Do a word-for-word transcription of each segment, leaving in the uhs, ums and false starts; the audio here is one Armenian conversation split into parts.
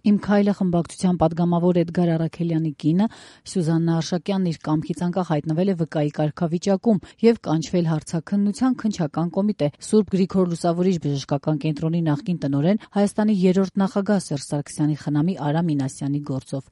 «Իմ քայլը» խմբակցության պատգամավոր Էդգար Առաքելյանի կինը Սյուզաննա Արշակյանն իր կամքից անկախ հայտնվել է վկայի կարգավիճակում եւ կանչվել հարցաքննության քննչական կոմիտե։ Սուրբ Գրիգոր Լուսավորիչ բժշկական կենտրոնի նախկին տնօրեն, Հայաստանի երրորդ նախագահ Սերժ Սարգսյանի խնամի Արա Մինասյանի գործով։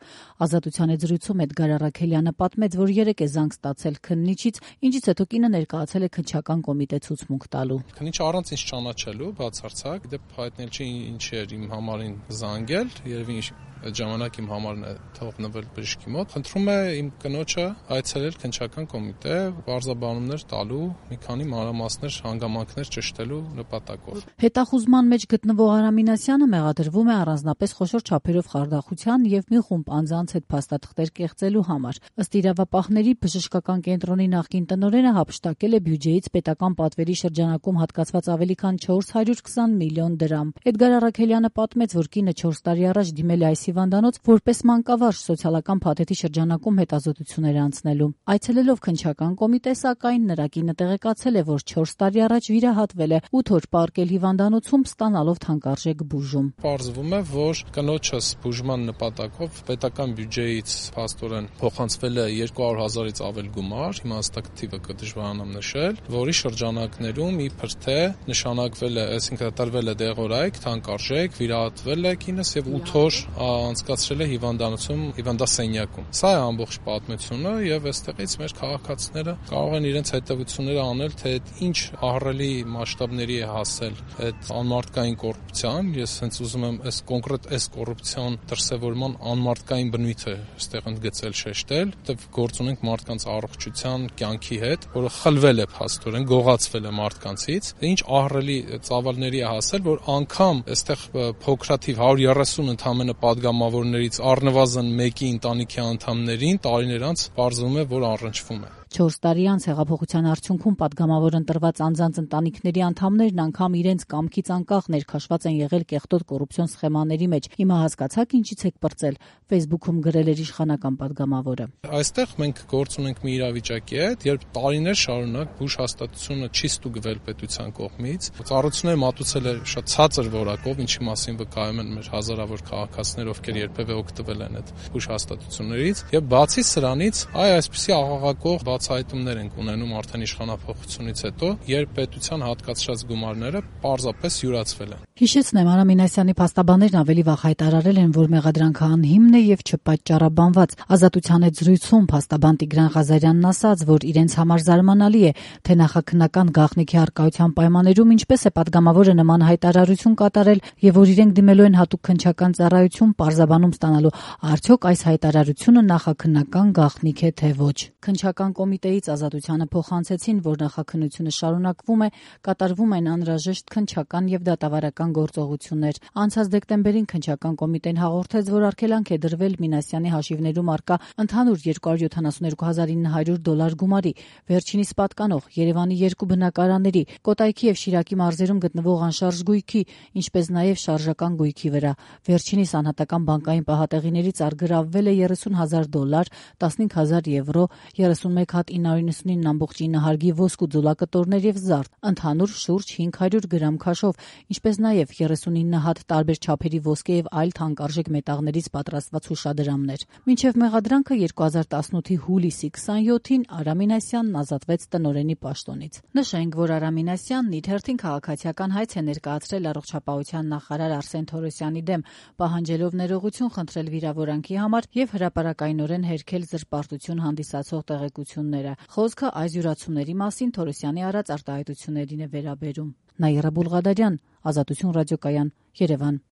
Ազատության հետ զրույցում Էդգար Առաքելյանը պատմեց, որ երեկ է զանգ ստացել քննիչից, ինչից հետո կինը ներկայացել է քննչական կոմիտե ցուցմունք տալու։ Քննիչը առանց ինձ ճանաչելու բացարձակ, դե հայտնել չի ինչ էր իմ համարին զանգել, երևի այդ ժամանակ իմ համարն է թողնվել բժշկի մոտ։ Խնդրում է իմ կնոջը այցելել քննչական կոմիտե, բարձաբանումներ տալու, մի քանի մանրամասներ, հանգամանքներ ճշտելու նպատակով։ Հետախուզման մեջ գտնվող Արա Մինասյանը մեղադրվում է առանձնապես խոշոր չափերով խարդախության եւ մի խումբ անձանց հետ փաստաթղթեր կեղծելու համար։ Ըստ իրավապահների, բժշկական կենտրոնի նախկին տնօրենը հափշտակել է բյուջեից պետական պատվերի շրջանակում հատկացված ավելի քան չորս հարյուր քսան միլիոն դրամ։ Էդգար Առաքելյանը պատմեց, որ կինը չորս տարի առաջ դիմել է այս հիվանդանոց որպես մանկավարժ սոցիալական փաթեթի շրջանակում հետազոտություններ անցնելու։ Այցելելով քննչական կոմիտե, սակայն նրա կինը տեղեկացել է, որ չորս տարի առաջ վիրահատվել է ութ օր պարկել հիվանդանոցում ստանալով թանկարժեք բուժում։ Պարզվում է, որ կնոջս բուժման նպատակով պետական բյուջեից փաստորեն փոխանցվել է երկու հարյուր հազարից ավել գումար, հիմա հստակ թիվը կդժվարանամ նշել, որի շրջանակներում իբր թե նշանակվել է, այսինքն տրվել է դեղորայք, թանկարժեք, վիրահատվել է կինս եւ ութ օր անցկացրել է հիվանդանոցում, հիվանդասենյակում։ Սա է ամբողջ պատմությունը եւ այստեղից մեր քաղաքացիները կարող են իրենց հետևությունները անել, թե ինչ ահռելի մասշտաբների է հասել այդ անմարդկային կոռուպցիան։ Ես հենց ուզում եմ այս կոնկրետ այս կոռուպցիան դրսևորման անմարդկային բնույթը այստեղ ընդգծել, շեշտել, որտեղ գործ ունենք մարդկանց առողջության, կյանքի հետ, որը խլվել է փաստորեն, գողացվել է մարդկանցից։ Ինչ ահռելի ծավալների է հասել, որ անգամ այստեղ փոքրաթիվ հարյուր երեսուն ընդամենը պատգամավորներից առնվազն մեկի ընտանիքի անդամներին տարիներ անց պարզվում է, որ առնչվում է։ Չորս տարի անց հեղափոխության արդյունքում պատգամավոր ընտրված անձանց ընտանիքների անդամներն անգամ իրենց կամքից անկախ ներքաշված են եղել կեղտոտ կոռուպցիոն սխեմաների մեջ։ Հիմա հասկացաք ինչից եք պրծել, ֆեյսբուքում գրել էր իշխանական պատգամավորը։ Այստեղ մենք գործ ունենք մի իրավիճակի հետ, երբ տարիներ շարունակ բուժ հաստատությունը չի ստուգվել պետության կողմից, ծառայությունները մատուցել է շատ ցածր որակով, ինչի մասին վկայում են մեր հազարավոր քաղաքացիներ, ովքեր երբևէ օգտվել են այդ բուժ հաստատություններից, եւ բացի սրանից, այ այսպիսի աղաղակող բացահայտումներ ենք ունենում արդեն իշխանափոխությունից հետո, երբ պետության հատկացրած գումարները պարզապես յուրացվել են։ Հիշեցնեմ, Արա Մինասյանի փաստաբաններն ավելի վաղ հայտարարել են, որ մեղադրանքը անհիմն է եւ չպատճառաբանված։ Ազատության հետ զրույցում փաստաբան Տիգրան Ղազարյանն ասաց, որ իրենց համար զարմանալի է, թե նախաքննական գաղտնիքի առկայության պայմաններում ինչպես է պատգամավորը նման հայտարարություն կատարել եւ որ իրենք դիմելու են հատուկ քննչական ծառայություն պարզաբանում ստանալու, արդյոք այս հայտարարությունը նախաքննական գաղտնիք է թե ոչ։ Քննչական կոմիտեից Ազատությանը փոխանցեցին, որ նախաքննությունը շարունակվում է, կատարվում են անհրաժեշտ քննչական եւ դատավարական գործողություններ։ Անցած դեկտեմբերին քննչական կոմիտեն հաղորդեց, որ արգելանք է դրվել Մինասյանի հաշիվներում առկա ընդհանուր երկու հարյուր յոթանասունյոթ հազար ինը հարյուր դոլար գումարի, վերջինիս պատկանող Երևանի երկու բնակարանների, Կոտայքի եւ Շիրակի մարզերում գտնվող անշարժ գույքի, ինչպես նաեւ շարժական գույքի վրա։ Վերջինիս անհատական բանկային պահատեղիներից արգրավվել է երեսուն հազար դոլար, տասնհինգ հազար եվրո, երեսունմեկ հատ ինը հարյուր նվսանինը ամբողջ ինը հարգի ոսկու ձուլակտորներ եւ զարդ, ընդհանուր շուրջ հինգ հարյուր գրամ քաշով, ինչպես նաեւ երեսունինը հատ տարբեր չափերի ոսկե եւ այլ թանկարժեք մետաղներից պատրաստված հուշադրամներ։ Մինչեւ մեղադրանքը երկու հազար տասնութի հուլիսի քսանյոթին Արա Մինասյանն ազատվեց տնօրենի պաշտոնից։ Նշենք, որ Արա Մինասյանն իր հերթին քաղաքացիական հայց է ներկայացրել առողջապահության նախարար Արսեն Թորոսյանի դեմ, պահանջելով ներողություն խնդրել վիրավորանքի համար եւ հրապարակայնորեն հերքել զրպարտություն հանդիսացող տեղեկությունները։ Խոսքը այս յուրացումների մասին Թորոսյանի արած արտահայտություններին է վերաբերում։ Նաիրա Բուլղադարյան, Ազատություն ռադիոկայան, Երևան։